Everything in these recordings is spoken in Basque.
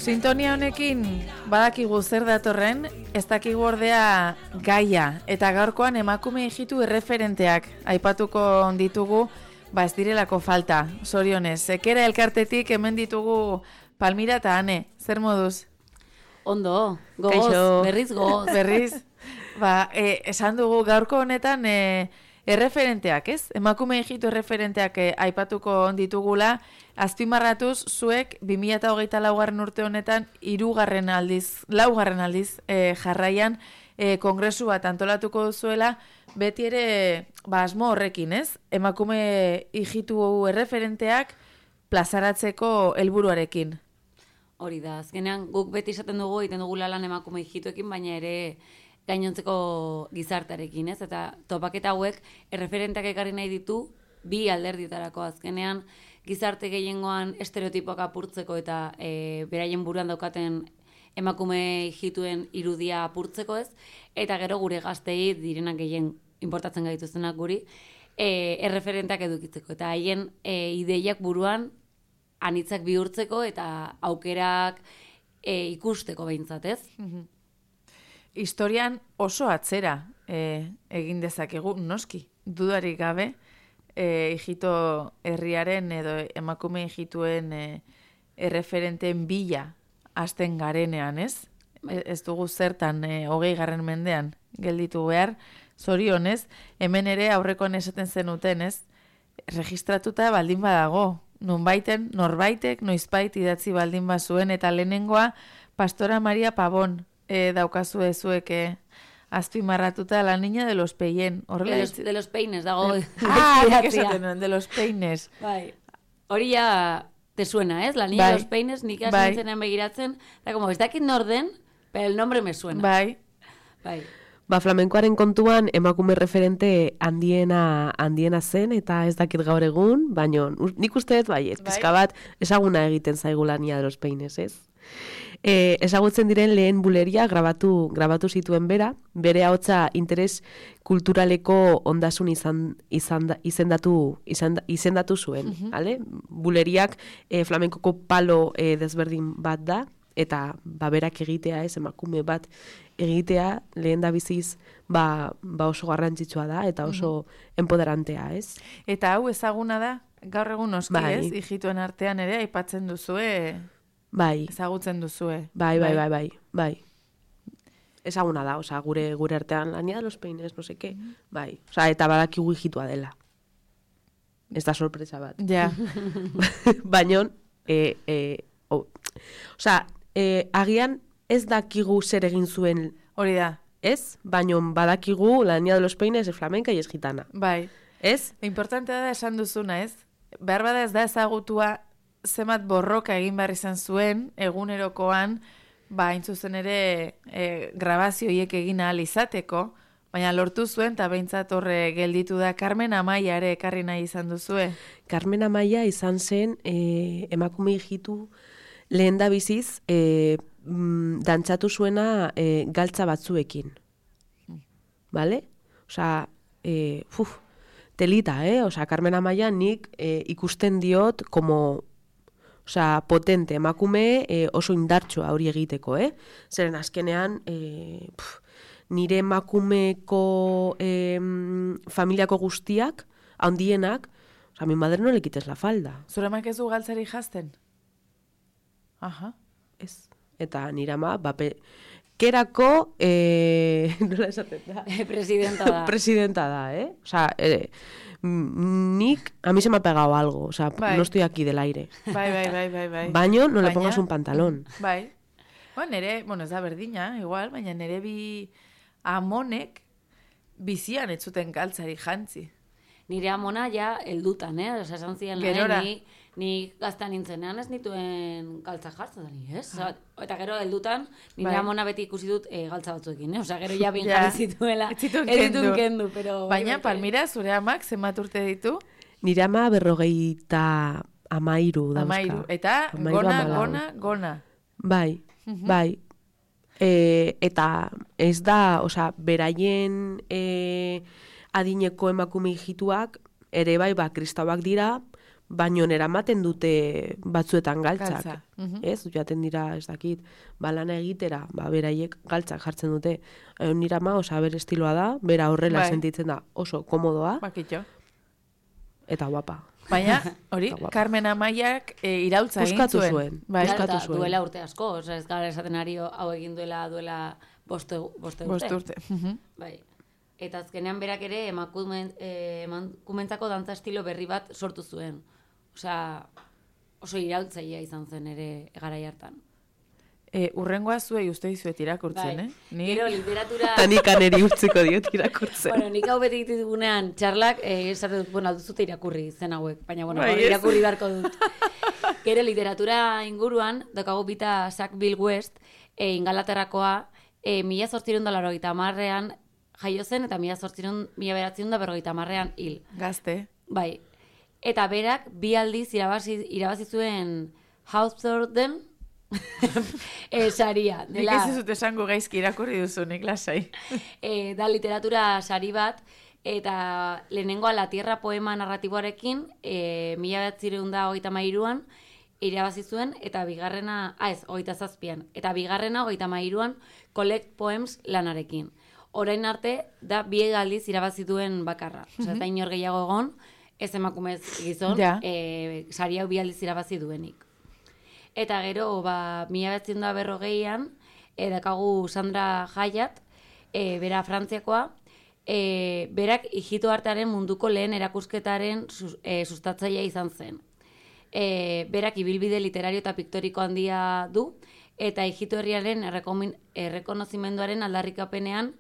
Sintonia honekin badakigu zer datorren, ez dakigu ordea gaia, eta gaurkoan emakume hijitu erreferenteak aipatuko ditugu, ez direlako falta, zorionez. Sekera elkartetik hemen ditugu Palmira eta Ane, zer moduz? Ondo, gogoz, berriz gogoz. Berriz, esan dugu gaurko honetan erreferenteak, ez? Emakume hijitu erreferenteak aipatuko ditugula, azpimarratuz zuek 2024 urte honetan laugarren aldiz jarraian kongresu bat antolatuko duzuela, beti ere asmo horrekin, ez? Emakume hijitu erreferenteak plazaratzeko helburuarekin. Hori da, azkenean guk beti esaten dugu, egiten dugu lan emakume hijituekin, baina ere gainontzeko gizartarekin, ez? Eta topaketa hauek erreferenteak ekarri nahi ditu bi alderdietarako. Azkenean gizarte gehiengoan estereotipoak apurtzeko eta beraien buruan daukaten emakume hijituen irudia apurtzeko, ez? Eta gero gure gaztei direnak gehien importatzen gaituztenak guri erreferenteak edukitzeko. Eta haien ideiak buruan anitzak bihurtzeko eta aukerak ikusteko behintzat, ez? Historian oso atzera egin dezakegu, noski, dudarik gabe, hijito herriaren edo emakume hijituen erreferenteen bila hasten garenean, ez? Ez dugu zertan 20. mendean gelditu behar, zorionez, hemen ere aurrekoan esaten zenuten, ez? Registratuta baldin badago, norbaitek noizbait idatzi baldin bazuen, eta lehenengoa Pastora Maria Pabon daukazue zuek azpimarratuta La Niña de los Peyen. De los Peines, dago. De los Peines. Bai. Hori ya te suena, ¿es? La Niña de los Peines, nik asintzen begiratzen, da como, ez dakit norden, pero el nombre me suena. Bai. Flamenkoaren kontuan emakume referente handiena zen, eta ez dakit gaur egun, baina nik uste dut pizka bat ezaguna egiten zaigu La Niña de los Peines, ez? Ezagutzen diren lehen buleria grabatu zituen bere ahotsa interes kulturaleko ondasun izendatu zuen, ¿vale? Buleriak flamenkoko palo desberdin bat da, eta berak egitea, ez, emakume bat egitea, lehen da biziz oso garrantzitsua da, eta oso empoderantea, ez? Eta hau ezaguna da, gaur egun oski, ez? Hijituen artean ere aipatzen duzue... Bai. Ezagutzen duzue. Bai. Ezaguna da, oza, gure artean La Niña de los Peines, no seke. Bai. Oza, eta badakigu hijitua dela. Ez da sorpresa bat. Ja. Baina, agian ez dakigu zer egin zuen. Hori da. Ez? Baina badakigu La Niña de los Peines es flamenca y es gitana. Bai. Ez? Importantea da esan duzuna, ez? behar bada ez da ezagutua zenbat borroka egin behar izan zuen egunerokoan, hain zuzen ere grabazio hiek egin ahal izateko, baina lortu zuen, eta behintzat horre gelditu da. Carmen Amaia ere ekarri nahi izan duzue. Carmen Amaia izan zen emakume hijitu lehen da biziz dantzatu zuena galtza batzuekin. Bale? Osa, telita, Osa, Carmen Amaia nik ikusten diot como potente emakume oso indartsua hori egiteko, Zeren azkenean nire emakumeko familiako guztiak, handienak, a mi madre no le quites la falda. Zure amak ez du galtzari jazten? Aha. Ez. Eta nire ama, kerako, nola esaten da? Presidenta da. Presidenta da, Osa, nik, a mí se me ha pegado algo, osa, no estoy aquí del aire. Bai. Baino, no le pongas un pantalón. Bai. Ez da berdina, igual, baina nire bi amonek bizian ez zuten galtzari jantzi. Nire amona ja heldutan, Osa, esan ziren ni gazta nintzenean ez nituen galtza jartzen, ez? Eta gero heldutan, nire amona beti ikusi dut galtza batzuekin, Osa, gero ja bin jarri zituela, ez ditun kendu, pero... Baina, Palmira, zure amak zenbat urte ditu? Nire ama 53 dauzka. Amairu, eta gona. Bai. Eta ez da, beraien adineko emakume hijituak ere bai, kristauak dira, baino eramaten dute batzuetan galtzak. Ez, jaten dira, ez dakit, lana egitera, beraiek galtzak jartzen dute. Nire ama, bere estiloa da, bera horrela sentitzen da oso komodoa. Bakitxo. Eta guapa. Baina, hori, Carmen Amaiak iraultza egin zuen. Puskatu zuen. Duela urte asko, ez gara esaten ari hau egin duela boste urte. Bai. Eta azkenean berak ere emakumentzako dantza estilo berri bat sortu zuen. Osea, oso iraultzailea izan zen ere garai hartan. Urrengoa zuei uste dizuet irakurtzen, Gero literatura... Tanik aneri utziko diot irakurtzen. Nik hau beti ditugunean txarlak, esatu dut, alduzute irakurri zen hauek, baina irakurri beharko dut. Gero literatura inguruan, dokagu bita Sackville West, Ingalaterrakoa, 1880an jaio zen, eta 1940an hil. Gazte. Bai. Eta berak, bi aldiz irabazi zuen Hawthornden, saria. Nik ez zut esango gaizki irakurri duzu, nik lasai. Da literatura sari bat, eta lehenengoa La Tierra poema narratiboarekin, 1933an irabazi zuen, eta bigarrena, 27an, eta bigarrena 33an Collect Poems lanarekin. Orain arte, da bi aldiz irabazi duen bakarra. Osa, eta inor gehiago egon, ez emakumez gizon, sari hau bi aldiz irabazi duenik. Eta gero, 1940an, dakagu Sandra Hayat, bera Frantziakoa, berak hijitu artearen munduko lehen erakusketaren sustatzailea izan zen. Berak ibilbide literario eta piktoriko handia du, eta hijitu herriaren errekonozimenduaren aldarrikapenean,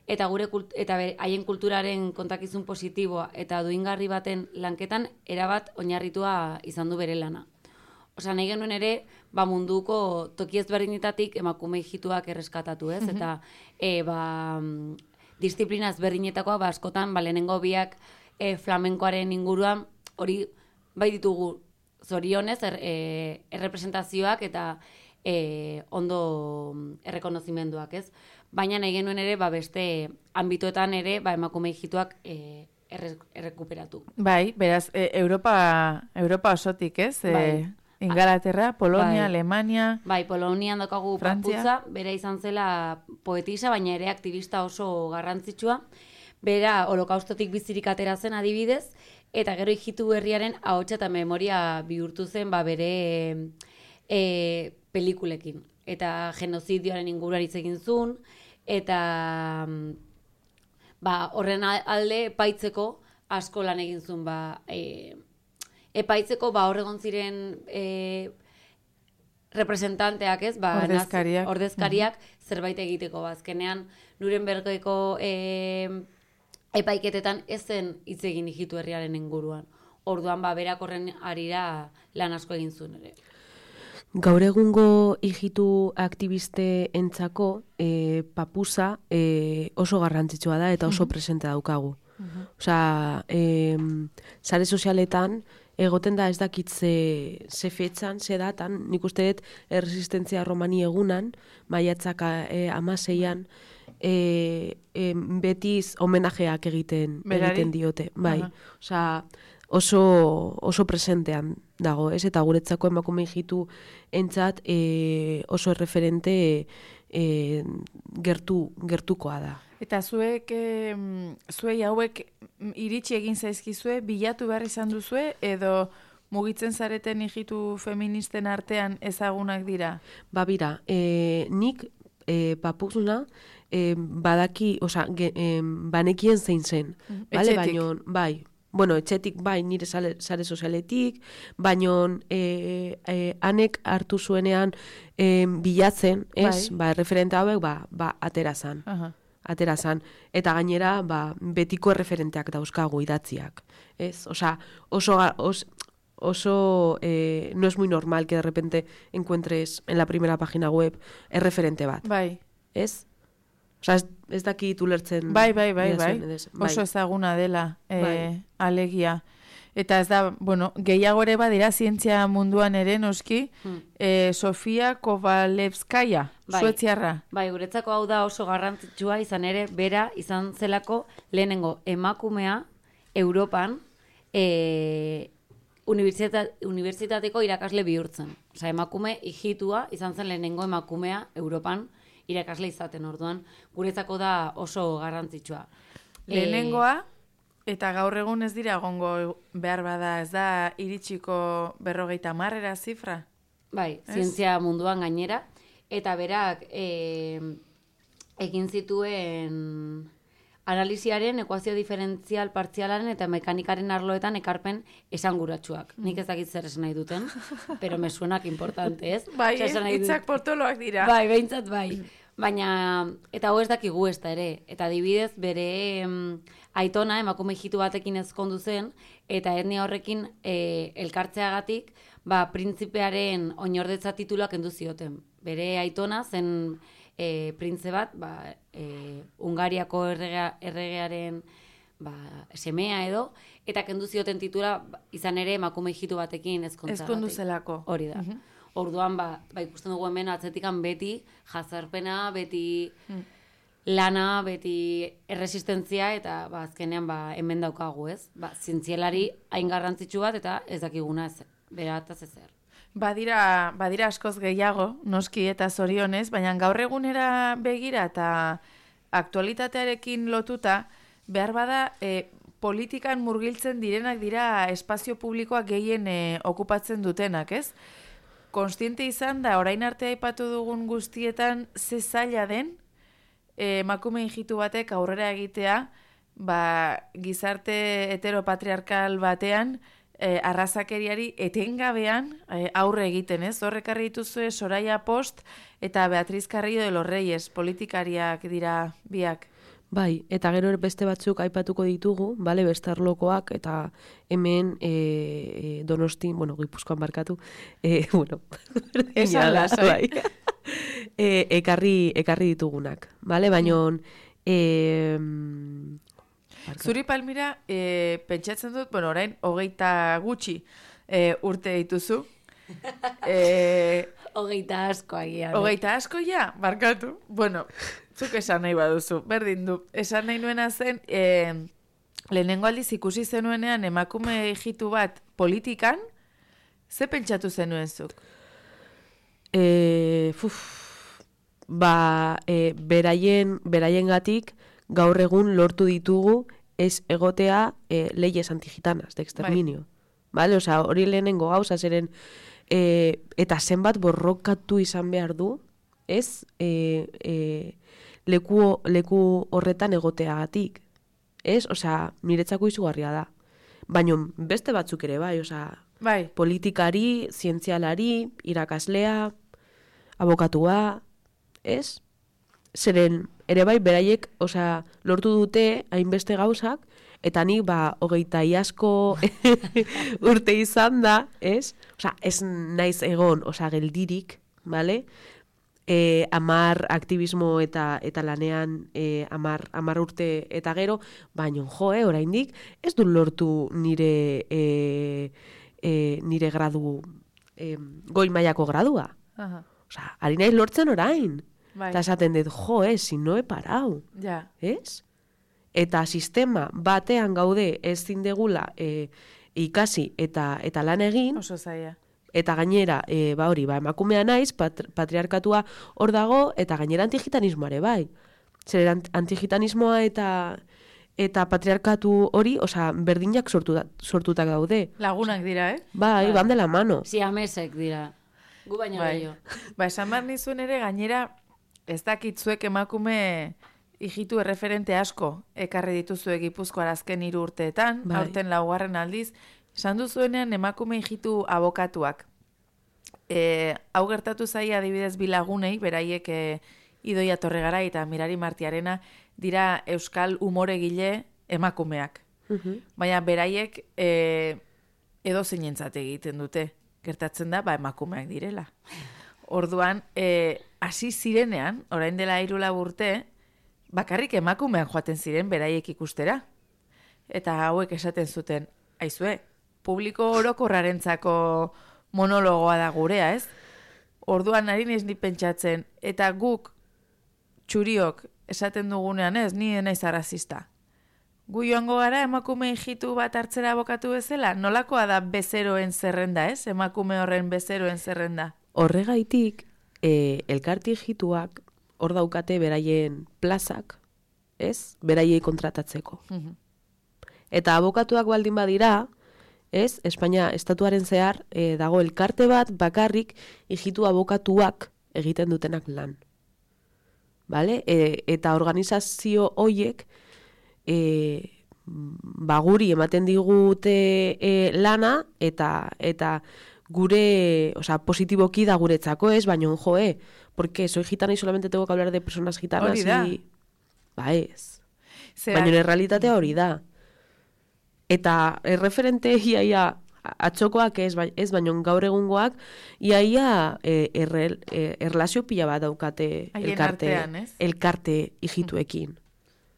eta haien kulturaren kontakizun positiboa eta duingarri baten lanketan erabat oinarritua izan du bere lana. Osa, nahi genuen ere, munduko toki ezberdinetatik emakume hijituak erreskatatu, ez? Eta disiplina ezberdinetakoa, askotan, lehenengo biak flamenkoaren inguruan, hori bai ditugu zorionez, errepresentazioak eta ondo errekonozimenduak, ez? Baina nahi genuen ere, beste ambitoetan ere, emakume hijituak errekuperatu. Bai, beraz, Europa osotik, ez? Ingalaterra, Polonia, Alemania... Bai, Polonian dokagu Paputza, bera izan zela poetisa, baina ere aktivista oso garrantzitsua. Bera holokaustotik bizirik atera zen adibidez, eta gero hijitu herriaren ahotsa eta memoria bihurtu zen bere pelikulekin. Eta genozidioaren inguruan hitz egin zuen, eta horren alde epaitzeko asko lan egin zuen, epaitzeko hor egon ziren representanteak, ez? Ordezkariak zerbait egiteko. Azkenean, Nurembergeko epaiketetan ez zen hitz egin hijitu herriaren inguruan. orduan berak horren arira lan asko egin zuen ere. Gaur egungo hijitu aktiviste entzako papusa oso garrantzitsua da eta oso presente daukagu. Osea, sare sozialetan egoten da ez dakit ze fetxan, ze datan, nik uste dut erresistentzia romani egunan, maiatzak 16an, betiz homenajeak egiten diote. Bai, osea, oso presentean dago, ez? Eta guretzako emakume hijitu entzat oso erreferente gertukoa da. Eta zuei hauek iritsi egin zaizkizue, bilatu behar izan duzue, edo mugitzen zareten hijitu feministen artean ezagunak dira? Bira, nik papuzna badaki, banekien zein zen. Etxetik? Bai, etxetik bai, nire sare sozialetik, baino hanek hartu zuenean bilatzen, ez? Bai. Referente hauek, aterazan. Aterazan. Eta gainera, betiko erreferenteak dauzkagu idatziak. Ez? Osea, oso no es muy normal que de repente encuentres en la primera página web erreferente bat. Bai. Ez? Osea, ez dakit ulertzen. Bai. Oso ezaguna dela alegia. Eta ez da, gehiago ere badira zientzia munduan ere noski, Sofia Kovalevskaya, suetziarra. Bai, guretzako hau da oso garrantzitsua izan ere, bera izan zelako lehenengo emakumea Europan unibertsitateko irakasle bihurtzen. Osea, emakume hijitua izan zen lehenengo emakumea Europan irakasle izaten, orduan guretzako da oso garrantzitsua. Lehenengoa, eta gaur egun ez dira egongo behar bada, ez da iritsiko 50 zifra? Bai, zientzia munduan gainera, eta berak egin zituen analisiaren, ekuazio diferentzial partzialaren eta mekanikaren arloetan ekarpen esanguratsuak. Nik ez dakit zer esan nahi duten, pero me suenak importante, ez? Bai, hitzak potoloak dira. Bai, behintzat bai. Baina, eta hau ez dakigu ez da ere. Eta adibidez, bere aitona, emakume hijitu batekin ezkondu zen, eta etnia horrekin elkartzeagatik, printzipearen oinordetza tituluak kendu zioten. Bere aitona zen printze bat, Hungariako erregearen semea edo, eta kendu zioten titula izan ere emakume hijitu batekin ezkontzagatik. Ezkondu zelako. Hori da. Orduan, ikusten dugu hemen atzetikan beti jazarpena, beti lana, beti erresistentzia, eta azkenean hemen daukagu, ez? Zientzialari hain garrantzitsu bat, eta ez dakiguna ez, berataz ezer. Badira askoz gehiago, noski eta zorionez, baina gaur egunera begira eta aktualitatearekin lotuta, behar bada politikan murgiltzen direnak dira espazio publikoak gehien okupatzen dutenak, ez? Konstiente izan da, orain arte aipatu dugun guztietan, ze zaila den, emakume hijitu batek aurrera egitea, gizarte heteropatriarkal batean, arrazakeriari etengabean aurre egiten, ez? Horrekarri dituzue Soraya Post eta Beatriz Carrillo de los Reyes, politikariak dira biak. Bai, eta gero beste batzuk aipatuko ditugu, bestarlokoak, eta hemen Donostin, Gipuzkoan barkatu, esan lasai. Ekarri ditugunak, baina Zuri Palmira, pentsatzen dut, orain 20 gutxi urte dituzu. 20 asko agian. 20 asko ja, barkatu. Zuk esan nahi baduzu, berdin du. Esan nahi nuena zen, lehenengo aldiz ikusi zenuenean emakume hijitu bat politikan, ze pentsatu zenuen zuk? Beraien gatik gaur egun lortu ditugu ez egotea leyes antigitanas de exterminio. Osea, hori lehenengo gauza zeren eta zenbat borrokatu izan behar du, ez leku horretan egoteagatik. Ez? Osea, niretzako izugarria da. Baina beste batzuk ere osea, politikari, zientzialari, irakaslea, abokatua, ez? zeren ere bai beraiek, osea, lortu dute hainbeste gauzak, eta nik 20 iazko urte izan da, ez? Osea, ez naiz egon, osea, geldirik, bale? 10 aktivismo eta lanean 10 urte eta gero, baina oraindik ez du lortu nire gradu, goi mailako gradua. Osea, ari naiz lortzen orain. Eta esaten dut, si no he parau. Ja. Ez? Eta sistema batean gaude ezin degula ikasi eta lan egin. Oso zaila. Eta gainera, emakumea naiz, patriarkatua hor dago, eta gainera antigitanismoare bai. Zer antigitanismoa eta patriarkatu hori, osea, berdinak sortutak daude. Lagunak dira, Bai, van de la mano. Siamesek dira. Gu baino gehiago. Esan behar nizuen ere, gainera, ez dakitzuek emakume hijitu erreferente asko ekarri dituzue Gipuzkoara azken 3 urteetan, aurten 4. aldiz, esan duzuenean emakume hijitu abokatuak. Hau gertatu zaia adibidez bilagunei, beraiek Idoia Torregarai eta Mirari Martiarena dira euskal umoregile emakumeak. Baina beraiek edo zeinentzat egiten dute. Gertatzen da, emakumeak direla. Orduan, hasi zirenean, orain dela 3 urte, bakarrik emakumean joaten ziren beraiek ikustera. Eta hauek esaten zuten, aizue, publiko orokorrarentzako monologoa da gurea, ez? Orduan ari naiz ni pentsatzen, eta guk txuriok esaten dugunean ez, ni naiz arrazista. Gu joango gara emakume hijitu bat hartzera abokatu bezala? Nolakoa da bezeroen zerrenda, ez? Emakume horren bezeroen zerrenda. Horregaitik, elkarte hijituak hor daukate beraien plazak, ez? Beraiei kontratatzeko. Eta abokatuak baldin badira, ez? Espainia estatuaren zehar dago elkarte bat bakarrik hijitu abokatuak egiten dutenak lan. Bale? Eta organizazio hoiek guri ematen digute lana eta gure, osea, positiboki da guretzako, ez, baina porque soy gitana y solamente tengo que hablar de personas gitanas hori da. Ez. Baina errealitatea hori da. Eta erreferente iaia atxokoak ez baina gaur egungoak iaia erlazio pila bat daukate elkarte hijituekin.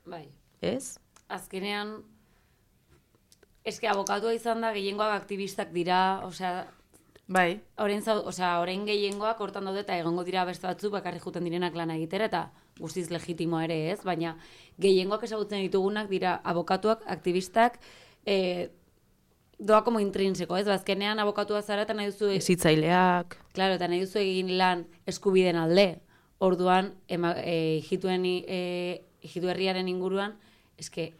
Bai. Ez? Azkenean, eske abokatua izan da, gehiengoak aktivistak dira, osea, bai. Orain gehiengoak hortan daude eta egongo dira beste batzuk bakarrik juten direnak lana egitera eta guztiz legitimoa ere ez, baina gehiengoak ezagutzen ditugunak dira abokatuak, aktivistak, doa como intrinseko, ez? Azkenean abokatua zara eta nahi duzu... Hezitzaileak. Claro, eta nahi duzu egin lan eskubiden alde. Orduan, hijitu herriaren inguruan, eske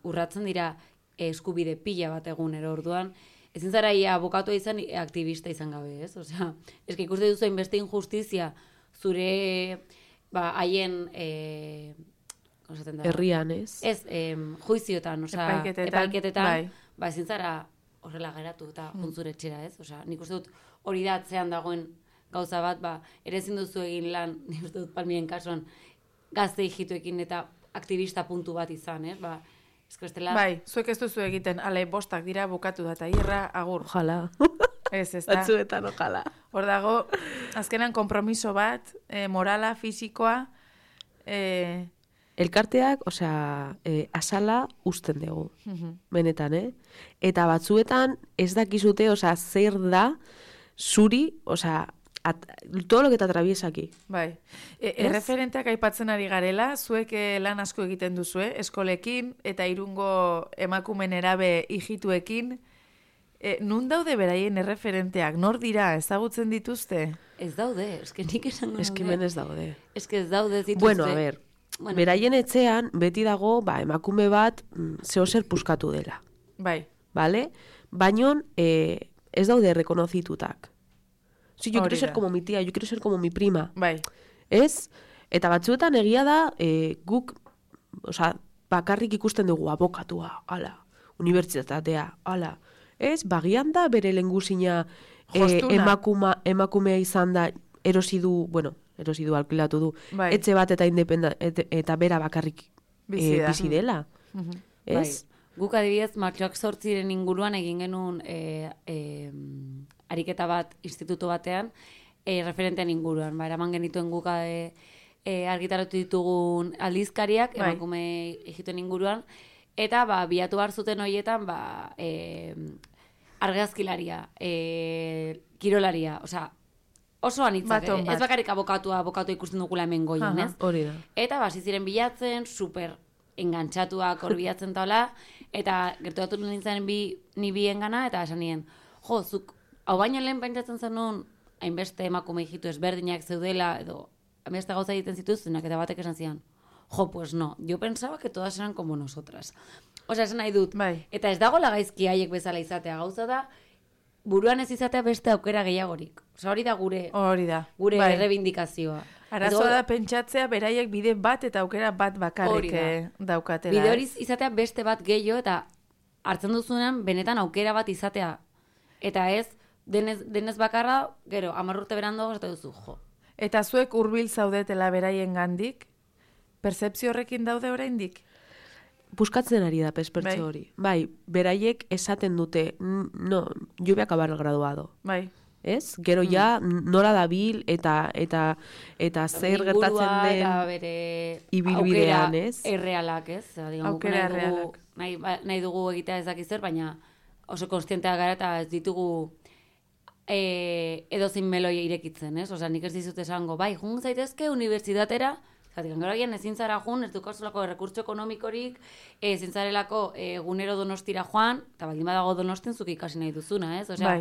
urratzen dira eskubide pila bat egunero. Orduan, ezin zara abokatua izan aktivista izan gabe, ez? Osea, eske ikuste duzu hainbeste injustizia zure haien herrian, ez? Ez, juiziotan, osea, epaiketetan, ezin zara horrela geratu eta juntzure etxera, ez? Osea, nik uste dut hori da atzean dagoen gauza bat, ere ezin duzu egin lan, nik uste dut Palmien kasuan, gazte hijituekin eta aktivista puntu bat izan, ez? Bai, zuek ez duzu egiten, ale bostak dira bukatu da, eta irra agur. Ojala. Ez da. Batzuetan, ojala. Hor dago, azkenan kompromiso bat, morala, fisikoa. Elkarteak, osea, asala usten dugu. Benetan, Eta batzuetan ez dakizute, osea, zer da zuri, osea, todo lo que te atraviesa aquí. Bai. Erreferenteak aipatzen ari garela, zuek lan asko egiten duzue, eskolekin eta Irungo emakumen erabe hijituekin. Nun daude beraien erreferenteak? Nor dira? Ezagutzen dituzte? Ez daude, eske nik esango daude. Eske men ez daude. Eske ez daude dituzte. Bueno, a ver, beraien etxean beti dago, emakume bat zehozer puskatu dela. Bai. Vale? Baina ez daude rekonozitutak. Si yo quiero ser como mi tía, yo quiero ser como mi prima. Bai. Ez? Eta batzuetan egia da, guk, osea, bakarrik ikusten dugu abokatua, ala, unibertsitatea, ala. Ez? Bagian da bere lehengusina emakumea izan da erosi du, bueno, erosi du, alkilatu du, Bai. etxe bat eta bera bakarrik bizi dela. Ez? Bai. Guk adibidez, martxoak 8 inguruan egin genuen ariketa bat institutu batean, referentean inguruan. Eraman genituen guk argitaratu ditugun aldizkariak, emakume ijituen inguruan, eta bilatu behar zuten horietan argazkilaria, kirolaria, osea, oso anitzak, ez bakarrik abokatu ikusten dugula hemen goien, ez? Hori da. Eta basi ziren bilatzen, super engantzatuak hor bilatzen taula, eta gerturatu nintzen ni biengana, eta esan nien, zuk, hau baino lehen pentsatzen zenun, hainbeste emakume hijitu ezberdinak zeudela, edo hainbeste gauza egiten zituztenak, eta batek esan zian, pues no, yo pensaba que todas eran como nosotras. Osea, esan nahi dut. Bai. Eta ez dago lagaizki haiek bezala izatea, gauza da, buruan ez izatea beste aukera gehiagorik. Osea, hori da gure errebindikazioa. Arazoa da pentsatzea beraiek bide bat eta aukera bat bakarrik daukatela. Bide hori izatea beste bat gehiago eta hartzen duzunean benetan aukera bat izatea. Eta ez, denez bakarra, gero, 10 urte beranduago ez duzu, jo. Eta zuek hurbil zaudetela beraien gandik, pertzepzio horrekin daude oraindik? Buskatzen ari da pertzepzio hori. Bai, beraiek esaten dute, no, yo voy a acabar el graduado. Bai. Ez? Gero ja nola dabil eta zer gertatzen den eta bere ibilbidean, ez? Errealak, ez? Aukera errealak. Nahi dugu egitea ez dakiz zer, baina oso konstienteak gara eta ez ditugu edozein meloi irekitzen, ez? Osea, nik ez dizut esango, bai, jun zaitezke unibertsitatera, zatik, gero ezin zara jun, ez dukazulako errekurtso ekonomikorik, ezin zarelako egunero Donostira joan, eta baldin badago Donostin zuk ikasi nahi duzuna, ez? Osea,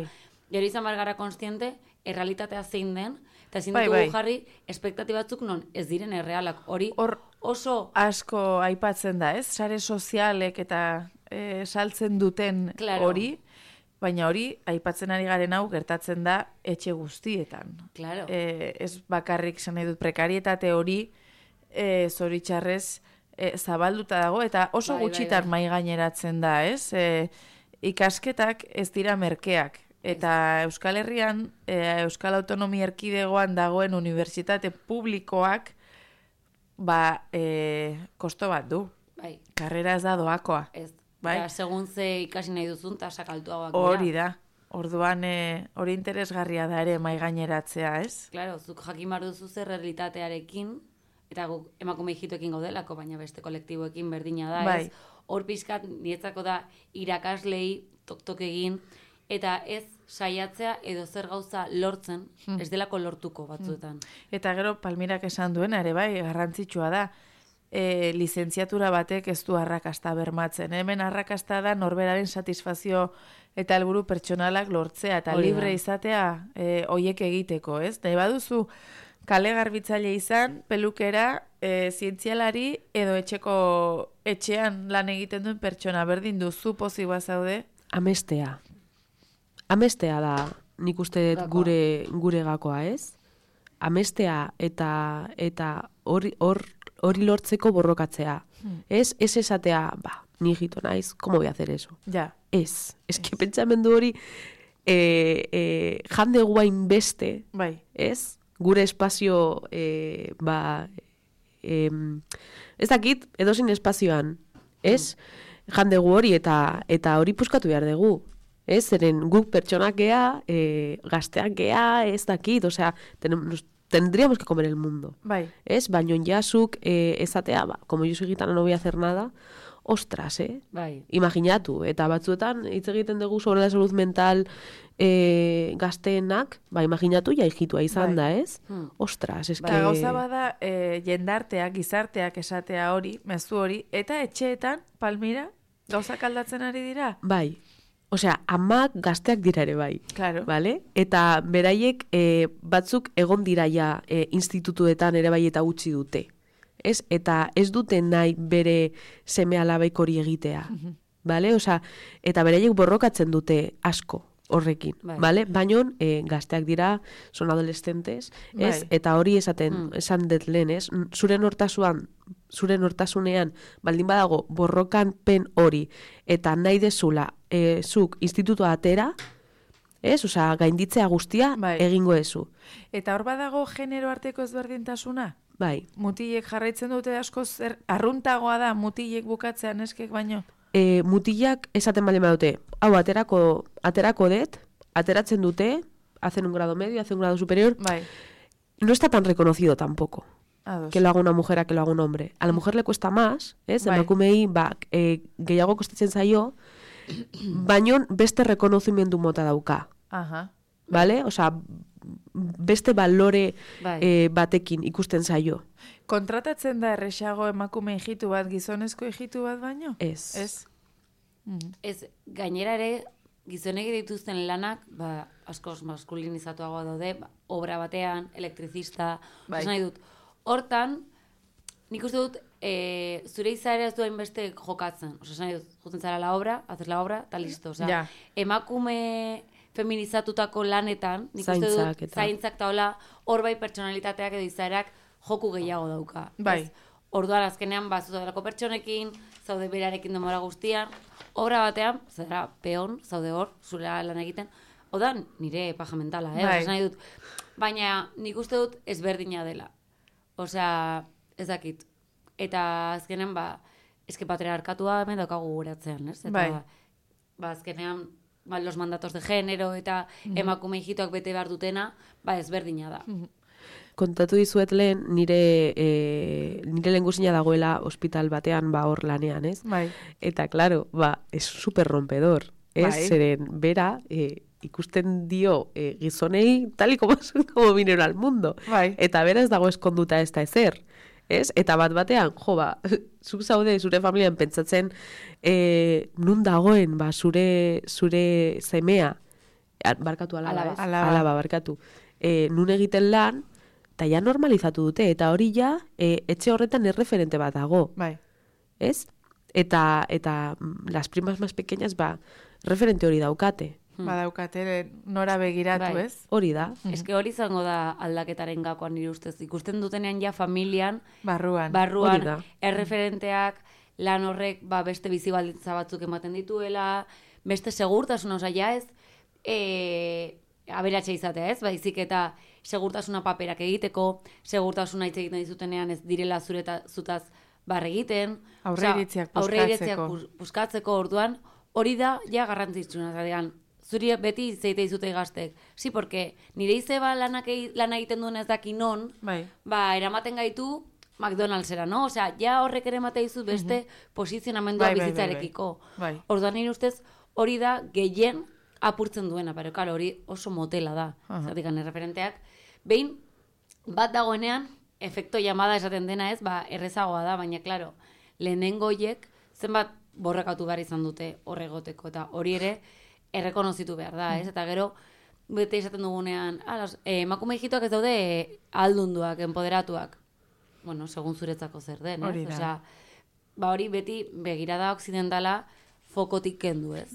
gero izan bar gara konstiente, errealitatea zein den, eta ezin ditugu jarri espektatibatzuk non ez diren errealak. Hori oso asko aipatzen da, ez? Sare sozialek eta saltzen duten hori, baina hori aipatzen ari garen hau gertatzen da etxe guztietan. Claro. Ez bakarrik zen nahi dut prekarietate hori zoritxarrez zabalduta dago, eta oso gutxitan mai gaineratzen da, ez? Ikasketak ez dira merkeak. Eta Euskal Herrian, Euskal Autonomia Erkidegoan dagoen unibertsitate publikoak kosto bat du. Bai. Karrera ez da doakoa. Ez. Bai? Eta segun ze ikasi nahi duzun, tasak altuagoak. Hori da. Orduan hori interesgarria da ere mai gaineratzea, ez? Claro, zuk jakin behar duzu zer realitatearekin, eta guk emakume hijitoekin gaudelako, baina beste kolektiboekin berdina da, ez? Hor pixkat nietzako da irakaslei tok egin, eta ez saiatzea edo zer gauza lortzen, ez delako lortuko batzuetan. Eta gero Palmirak esan duena ere bai, garrantzitsua da, lizentziatura batek ez du arrakasta bermatzen. Hemen arrakasta da norberaren satisfazio eta helburu pertsonalak lortzea, eta libre izatea hoiek egiteko, ez? Nahi baduzu kale garbitzaile izan, pelukera, zientzialari edo etxean lan egiten duen pertsona berdin duzu pozik bazaude? Amestea da, nik uste gure gakoa, ez? Amestea eta hori lortzeko borrokatzea. Ez esatea, ni hijito naiz, ¿cómo voy a hacer eso? Ja. Ez que pentsamendu hori jande guain beste, ez? Gure espazio, ez dakit, edozein espazioan, ez? Jande gu hori eta hori puskatu behar dugu. Ez, zeren guk pertsonak gea, gazteak gea, ez dakit, osea, tendríamos que comer el mundo. Bai. Ez, baino jasuk ezatea, como yo soy gitana no voy a hacer nada, ostras, Bai. Imaginatu, eta batzuetan hitz egiten dugu sobre la salud mental gazteenak, imaginatu hijitua izan da, ez? Ostras, eske... Eta gauza bada, jendarteak, gizarteak esatea hori, mezu hori, eta etxeetan, Palmira, gauzak aldatzen ari dira? Bai. Osea, amak gazteak dira ere bai. Claro. Vale? Eta beraiek batzuk egon dira ja institutuetan ere bai eta utzi dute. Ez? Eta ez dute nahi bere seme alabaik hori egitea. Vale? Osea, eta beraiek borrokatzen dute asko horrekin. Vale? Baina gazteak dira, son adolescentes, ez? Eta hori esan dut lehen, ez? Zure nortasunean, baldin badago, borrokan pen hori, eta nahi dezula, zuk institutua atera, Ez? Osea, gainditzea guztia Bai. egingo ezu. Eta hor badago genero arteko ezberdintasuna? Bai. Mutilek jarraitzen dute askoz arruntagoa da mutilek bukatzea neskek baino? Mutilak esaten bale badute, hau aterako det, ateratzen dute, hacen un grado medio, hacen un grado superior, Bai. no está tan reconocido tampoco. Ados. Que lo haga una mujer a que lo haga un hombre. A la mujer le cuesta más, ez? Bai. Emakumei, gehiago kostatzen zaio, baino beste rekonozimendu mota dauka. Aha. Vale? Osea, beste balore Bai. batekin ikusten zaio. Kontratatzen da erresago emakume hijitu bat, gizonezko hijitu bat baino? Ez. Ez? Ez, gainera ere, gizonek dituzten lanak, askoz maskulinizatuagoa daude, obra batean, elektrizista, Bai. nahi dut. Hortan, nik uste dut, zure izaera ez duen beste jokatzen. Nahi dut, juten zara la obra, haces la obra, eta listo. Ja. Emakume feminizatutako lanetan, nik uste Zaintzak dut, eta- zaintzak eta hola, hor bai pertsonalitateak edo izaerak joku gehiago dauka. Bai. Ez? Orduan azkenean zaudelako pertsonekin, zaude berarekin demora guztian, obra batean, zara peon, zaude hor, zure lan egiten, odan nire paja mentala, Bai. Osea, nahi dut. Baina nik uste dut ezberdina dela. Osea, ez dakit. Eta azkenean, eske patriarkatua hemen daukagu guratzean, ez? Eta, Bai. azkenean, los mandatos de género eta emakume hijitoak bete behar dutena, ezberdina da. Kontatu dizuet lehen, nire lehengusina dagoela ospital batean, hor lanean, ez? Bai. Eta, claro, es super rompedor, ez? Bai. Zeren, bera, ikusten dio gizonei tal y como vinieron al mundo. Bai. Eta bera ez dago eskonduta ez da ezer. Ez? Eta batean, zuk zaude zure familian pentsatzen nun dagoen zure semea, barkatu alaba, alaba barkatu, nun egiten lan, eta ja normalizatu dute, eta hori ja etxe horretan erreferente bat dago. Bai. Ez? Eta las primas más pequeñas referente hori daukate. Badaukate nora begiratu, Bai. ez? Hori da. Eske hori izango da aldaketaren gakoan nire ustez. Ikusten dutenean ja familian, Barruan. Hori da. erreferenteak, lan horrek beste bizi baldintza batzuk ematen dituela, beste segurtasuna, osea, ja ez aberatsa izatea, ez? Baizik eta segurtasuna paperak egiteko, segurtasuna hitz egiten dizutenean ez direla zutaz egiten. Aurreiritziak puskatzeko orduan, hori da ja garrantzitsuna, zadean. Zuri beti zeite dizute gaztek. Sí, porque nire izeba lan egiten duen ez daki non, Bai. eramaten gaitu McDonald'sera, no? Osea, ja horrek ere emate dizut beste posizionamendua Bai, bai, bizitzarekiko. bai. Orduan nire ustez hori da gehien apurtzen duena, pero claro, hori oso motela da. Zatikan erreferenteak. Behin, bat dagoenean, efekto llamada esaten dena ez, errezagoa da, baina, claro, lehenengoiek zenbat borrakatu behar izan dute horregoteko, eta hori ere errekonozitu behar da, ez? Eta gero, bete esaten dugunean, emakume hijitoak ez daude aldunduak, empoderatuak. Bueno, segun zuretzako zer den, ez? Hori da. Osea, hori beti begirada okzidentala fokotik kendu, ez?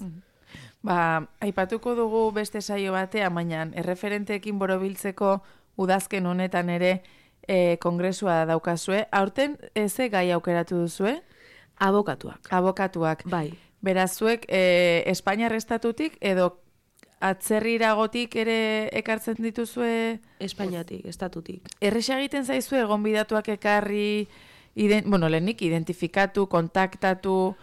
Aipatuko dugu beste saio batean, baina erreferenteekin borobiltzeko udazken honetan ere kongresua daukazue. Aurten ze gai aukeratu duzue? Abokatuak. Abokatuak. Bai. Beraz, zuek Espainiar estatutik edo atzerriragotik ere ekartzen dituzue? Espainiatik, estatutik. Erresa egiten zaizue gonbidatuak ekarri, lehenik identifikatu, kontaktatu,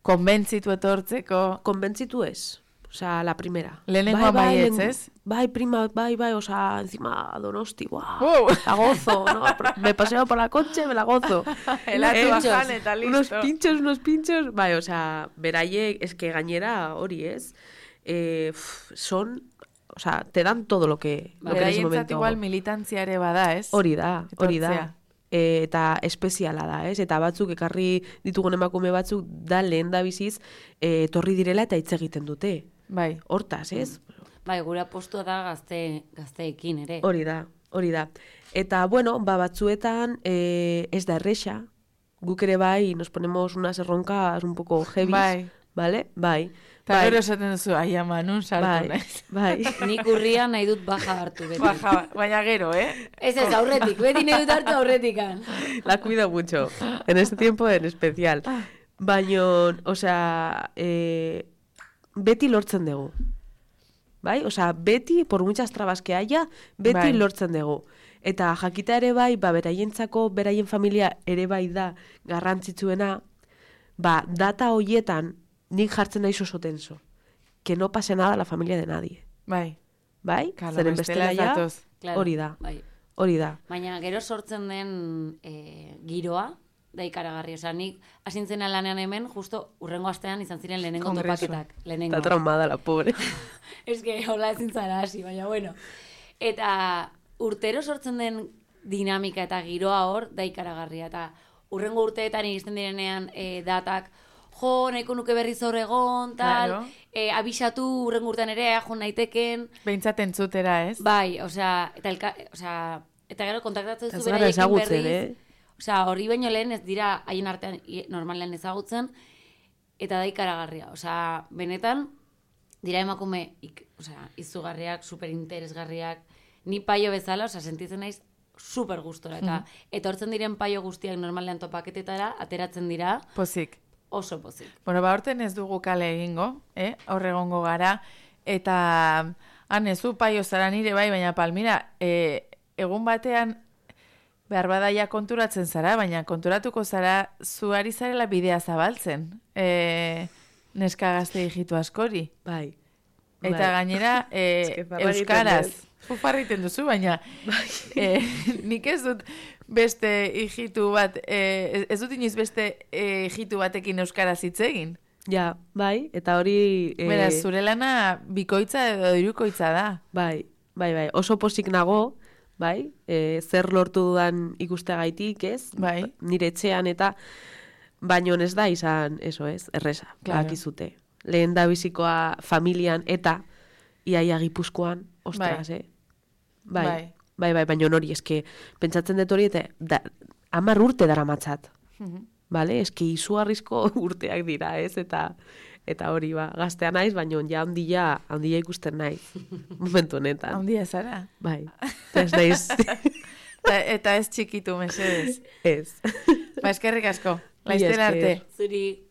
konbentzitu etortzeko? Konbentzitu ez. Osea, la primera. Lehenengoa baietz, ez? Bai, prima, bai, osea, encima Donosti, guau. Wow. La gozo, ¿no? Me paseo por la coche, me la gozo. Helatu bajan eta listo. Unos pinchos. Bai, osea, beraiek, es que gainera hori, ez? Son, o sea, te dan todo lo que en ese momento. igual militantzia ere bada, ez? Hori da. Etortzea. Eta espeziala da, ez? Eta batzuk ekarri ditugun emakume batzuk da lehen da biziz etorri direla eta hitz egiten dute. Bai. Hortaz, ez? Bai, gure apostua da gazteekin ere. Hori da. Eta, bueno, batzuetan ez da erresa. Guk ere bai, nos ponemos unas erroncas un poco heavy. Bai. Vale? Bai. Eta gero esaten duzu, ai ama, nun sartu naiz. Bai. Nik urrian nahi dut baja hartu beti. Baina gero, Ez, aurretik, beti nahi dut hartu aurretikan. La cuido mucho, en este tiempo en especial. Baina, o sea, beti lortzen dugu. bai? Osea, beti, por muchas trabas que haya, beti lortzen dugu. Eta jakita ere bai, beraientzako, beraien familia ere bai da garrantzitsuena, data hoietan nik jartzen naiz oso tenso. Que no pase nada a la familia de nadie. Bai. Bai? Claro, Zeren bestela ja, Claro, hori da. bai. Hori da. Baina gero sortzen den giroa, da ikaragarri. Osa, nik asintzena lanean hemen, justo urrengo astean izan ziren lehenengo topaketak. Está traumada la pobre. Ez que hola ezin zara hasi, baina bueno. Eta urtero sortzen den dinamika eta giroa hor, da ikaragarria. Eta urrengo urteetan iristen direnean datak, jo, nahiko nuke berriz hor egon, tal, abisatu urrengo urtean ere, jo naiteken. Behintzat entzutera, ez? Bai, eta gero kontaktatzen zu beraiekin ezagutzen, berriz. Osea, horri baino lehen ez dira haien artean normalen ezagutzen, eta da ikaragarria. Osea, benetan, dira emakume izugarriak, superinteresgarriak, ni paio bezala, osea, sentitzen naiz super gustora. Eta hortzen diren paio guztiak normalean topaketetara, ateratzen dira. Pozik. Oso pozik. Bueno, horten ez dugu kale egingo, hor egongo gara, eta ezu paio zara nire bai, baina Palmira, egun batean, behar badaia konturatzen zara, baina konturatuko zara zuari zarela bidea zabaltzen, neska gazte hijitu askori. Bai. Eta gainera, euskaraz. Fufarriten duzu, baina nik ez dut beste hijitu bat, ez dut inoiz beste hijitu batekin euskaraz hitz egin. Ja, bai, eta hori... Beraz, zure lana bikoitza edo hirukoitza da. Bai, oso pozik nago, bai, zer lortu dudan ikusteagaitik, ez? Bai. Nire etxean eta baino ez da izan, erresa, bakizute. Lehen da bizikoa familian eta iaia Gipuzkoan, ostras, Bai, baina hori, eske, pentsatzen dut hori, eta 10 urte dara matzat. Bale, eske izugarrizko urteak dira, ez? Eta hori, gaztea naiz, baina ja handia ikusten naiz, momentu honetan. Handia zara? Bai, ez naiz. Eta ez txikitu, mesedez. Ez. Eskerrik asko, laizten arte. Zuri.